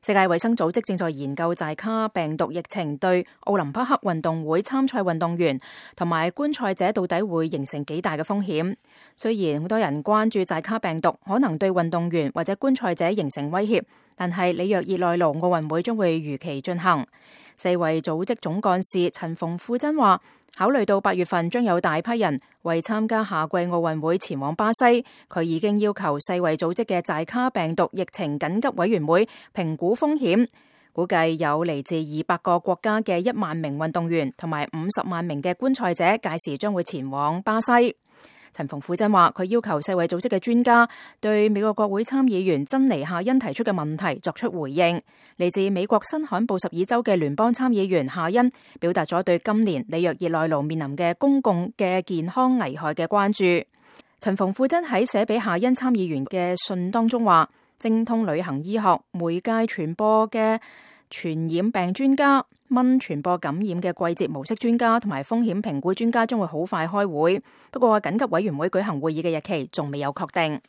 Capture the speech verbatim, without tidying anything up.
世界衛生組織正在研究寨卡病毒疫情對奧林匹克運動會參賽運動員同埋觀賽者到底會形成幾大嘅風險。雖然好多人關注寨卡病毒可能對運動員或者觀賽者形成威脅，但係里約熱內盧奧運會將會如期進行。世衛組織總幹事陳馮富珍話，考慮到八月份將有大批人為參加夏季奧運會前往巴西，佢已經要求世衛組織嘅寨卡病毒疫情緊急委員會評估風險，估計有嚟自二百個國家嘅一萬名運動員同埋五十萬名嘅觀賽者，屆時將會前往巴西。陳馮富珍話，佢要求世衛組織嘅專家對美國國會參議員珍妮夏恩提出嘅問題作出回應。嚟自美國新罕布什爾州嘅聯邦參議員夏恩表達咗對今年里約熱內盧面臨嘅公共嘅健康危害嘅關注。陳馮富珍喺寫俾夏恩參議員嘅信當中話，精通旅行醫學、媒介傳播嘅傳染病專家、蚊傳播感染嘅季節模式專家同埋風險評估專家將會好快開會，不過緊急委員會舉行會議嘅日期仲未有確定。